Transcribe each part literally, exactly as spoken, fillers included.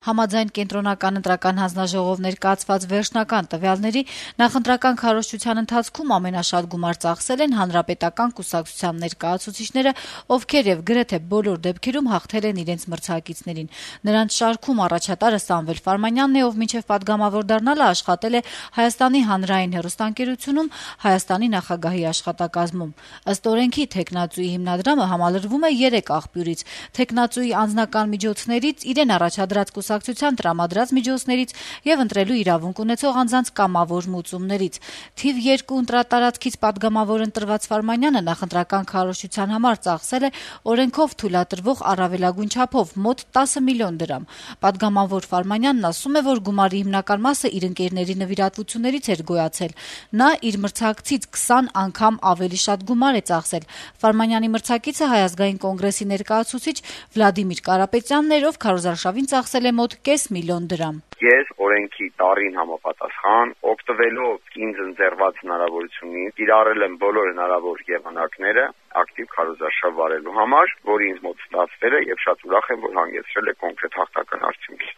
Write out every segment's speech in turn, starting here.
Համաձայն կենտրոնական ընտրական հանձնաժողով ներկայացված վերջնական տվյալների նախընտրական քարոզչության ընթացքում ամենաշատ գումար ծախսել են հանրապետական կուսակցության ներկայացուցիչները, ովքեր եւ գրեթե բոլոր դեպքերում հաղթել են իրենց մրցակիցներին։ Նրանց շարքում առաջատարը Սամվել Ֆարմանյանն է, ով մինչեւ պատգամավոր դառնալը աշխատել է Հայաստանի հանրային հեռուստաընկերությունում Հայաստանի նախագահի աշխատակազմում։ Ըստ օրենքի թեկնածուի հիմնադրամը համալրվում է երեք աղբյուրից՝ թեկնածուի անձնական միջոցներից, իրեն առաջադրած կուսակցության տրամադրած միջոցներից եւ ընտրելու իրավունք ունեցող անձանց կամավոր մուծումներից։ Թիվ երկու ընտրատարածքից պատգամավոր ընտրված Ֆարմանյանը նախընտրական քարոզչության համար ծախսել է օրենքով թույլատրվող առավելագույն չափով մոտ տասը միլիոն դրամ։ Պատգամավոր Ֆարմանյանն ասում է, որ գումարի հիմնական մասը իր ընկերների նվիրատվություններից էր գոյացել։ Նա իր մրցակցից քսան անգամ ավելի շատ գումար է ծախսել։ Ֆարմանյանի մրցակիցը Հայ ազգային կոնգրեսի ներկայացուցիչ Վլադիմիր Կարապետյանն էր, ով քարոզարշավին ծախսել է մոտ կես միլիոն դրամ։ Ես օրենքի տարին համապատասխան օգտվելով ինձ ընձեռված հնարավորությունից կիրառել եմ բոլոր հնարավոր եղանակները ակտիվ քարոզարշավ վարելու համար, որը ինձ մոտ ստացվել է եւ շատ ուրախ եմ, որ հանգեցրել է կոնկրետ հաղթական արդյունքի։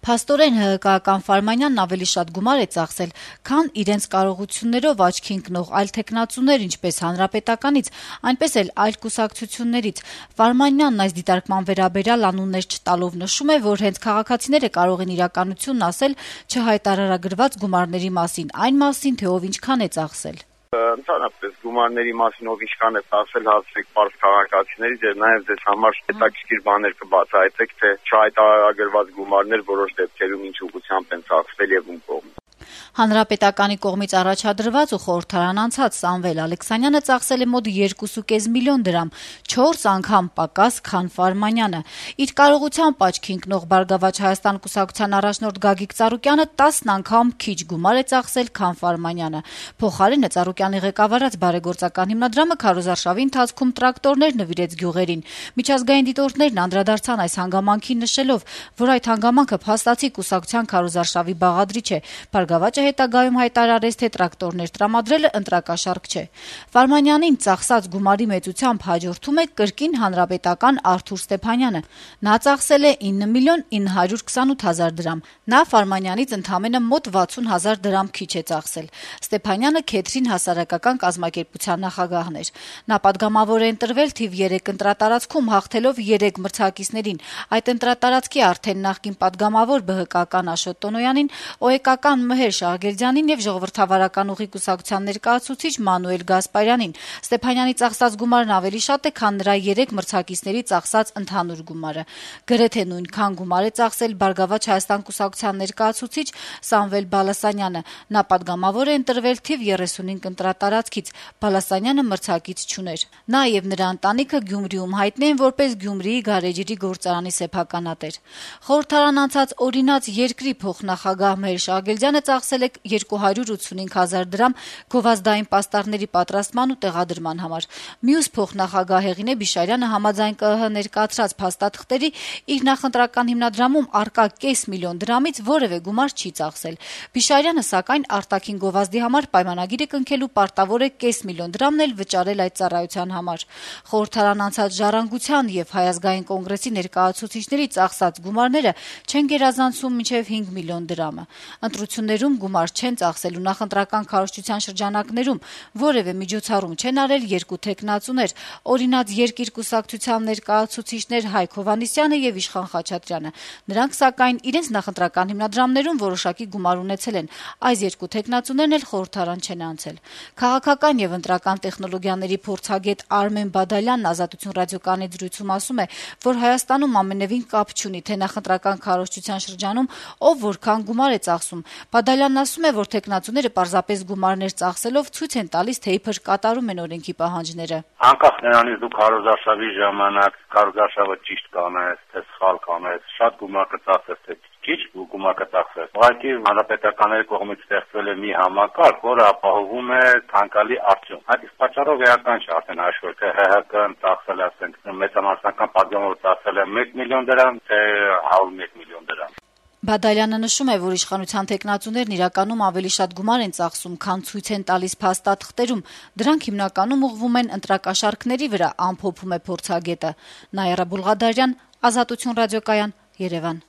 Փաստորեն ՀՀԿ-ական Ֆարմանյանն ավելի շատ գումար է ծախսել, քան իրենց կարողություններով աչքի ընկնող այլ թեկնածուներ, ինչպես Հանրապետականից, այնպես էլ այլ կուսակցություններից։ Ֆարմանյանն այս դիտարկման վերաբերյալ անուններ չտալով նշում է, որ հենց քաղաքացիները կարող են իրականությունն ասել չհայտարարագրված գումարների մասին, այն մասին, թե ով ինչքան է ծախսել։ Ընդհանրապես գումարների մասին ով ինչքան է ծախսել հասցրեք պարզ քաղաքացիներից եւ նաեւ ձեզ համար հետաքրքիր բաներ կբացահայտեք, թե չհայտարարագրված գումարներ որոշ դեպքերում ինչ ուղղությամբ են ծախսվել եւ ում կողմից։ Հանրապետականի կողմից առաջադրված ու խորհրդարան անցած Սամվել Ալեքսանյանը ծախսել է մոտ երկու կես միլիոն դրամ, չորս անգամ պակաս, քան Ֆարմանյանը։ Իր կարողությամբ աչքի ընկնող Բարգավաճ Հայաստան կուսակցության առաջնորդ Գագիկ Ծառուկյանը տասն անգամ քիչ գումար է ծախսել, քան Ֆարմանյանը։ Փոխարենը Ծառուկյանի ղեկավարած բարեգործական հիմնադրամը քարոզարշավի ընթացքում տրակտորներ նվիրեց գյուղերին։ Միջազգային դիտորդներն անդրադարձան այս հանգամանքին, նշելով, որ այդ հանգամանքը փաստացի կուսակցության քարոզարշավի բաղադրիչ է։ Բարգավաճը հետագայում հայտարարեց, թե տրակտորներ տրամադրելը ընտրակաշառք չէ։ Ֆարմանյանին ծախսած գումարի մեծությամբ հաջորդում է կրկին հանրապետական Արթուր Ստեփանյանը։ Նա ծախսել է ինը միլիոն ինը հարյուր քսանութ հազար դրամ։ Նա Ֆարմանյանից ընդամենը մոտ վաթսուն հազար դրամ քիչ է ծախսել։ Ստեփանյանը Քեթրին հասարակական կազմակերպության նախագահն էր։ Նա պատգամավոր է ընտրվել թիվ երեք ընտրատարածքում, հաղթելով երեք մրցակիցներին։ Այդ ընտրատարածքի արդեն նախկին պատգամավոր ԲՀԿ-ական Աշոտ Տոնոյանին, ՕԵԿ-ական Մհեր Շահգերդյանին եւ Ժողովրդավարական ուղի կուսակցության ներկայացուցիչ Մանուել Գասպարյանին։ Ստեփանյանի ծախսած գումարն ավելի շատ է, քան նրա երեք մրցակիցների ծախսած ընդհանուր գումարը։ Գրեթե նույնքան գումար է ծախսել Բարգավաճ Հայաստան կուսակցության ներկայացուցիչ Սամվել Բալասանյանը։ Նա պատգամավոր է ընտրվել թիվ երեսունհինգ ընտրատարածքից։ Բալասանյանը մրցակից չուներ։ Նա եւ նրա ընտանիքը Գյումրիում հայտնի են որպես Գյումրիի գարեջրի գործարանի սեփականատեր։ Խորհրդարան անցած օրինաց երկրի փոխնախագահ Մհեր Շահգերդյանը ծախսել է երկու հարյուր ութսունհինգ հազար դրամ գովազդային պաստառների պատրաստման ու տեղադրման համար։ Մյուս փոխնախագահ Հեղինե Բիշարյանը համաձայն ԿԸՀ ներկայացրած փաստաթղթերի իր նախընտրական հիմնադրամում առկա կես միլիոն դրամից որևէ գումար չի ծախսել։ Բիշարյանը, սակայն, արտաքին գովազդի համար պայմանագիրը կնքելու պարտավոր է կես միլիոն դրամն էլ վճարել այդ ծառայության համար։ Խորհրդարան անցած Ժառանգության եւ Հայ ազգային կոնգրեսի ներկայացուցիչների ծախսած գումարները չեն գերազանցում մինչեւ հինգ միլիոն դրամը։ Ընտրություններում գումար չեն ծախսելու նախընտրական քարոզչության շրջանակներում որևէ միջոցառում չեն արել երկու թեկնածուներ՝ օրինաց Երկիր կուսակցության ներկայացուցիչներ Հայկ Հովհաննիսյանը եւ Իշխան Խաչատրյանը։ Նրանք, սակայն, իրենց նախընտրական հիմնադրամներում որոշակի գումար ունեցել են։ Այս երկու թեկնածուներն էլ խորհրդարան չեն անցել։ Քաղաքական եւ ընտրական տեխնոլոգիաների փորձագետ Արմեն Բադալյանն Ազատություն ռադիոկայանի զրույցում ասում է, որ Հայաստանում ամենևին կապ չունի, թե նախընտրական քարոզչության շրջանում ով որքան գումար է ծախսում։ Բադալյանն ասում է, որ թեկնածուները պարզապես գումարներ ծախսելով ցույց են տալիս, թե իբր կատարում են օրենքի պահանջները։ Անկախ նրանից դու քարոզարշավի ժամանակ քարոզարշավը ճիշտ կանես, թե սխալ կանես, շատ գումար կծախսես, թե քիչ գումար կծախսես։ Ուղղակի հանրապետականների կողմից ստեղծվել է մի համակարգ, որը ապահովում է ցանկալի արդյունք։ Այդ իսկ պատճառով էական չէ արդեն հաշվել, թե ՀՀԿ-ն ծախսել է, ասենք, մեծամասնական պատգամավոր ծախսել է մեկ միլիոն դրամ, թե հարյուր մեկ միլիոն դրամ։ Բադալյանը նշում է, որ իշխանության թեկնածուներն իրականում ավելի շատ գումար են ծախսում, քան ցույց են տալիս փաստաթղթերում։ Դրանք հիմնականում ուղղվում են ընտրակաշառքների վրա, ամփոփում է փորձագետը։ Նաիրա Բուլղադարյան, Ազատություն ռադիոկայան, Երևան։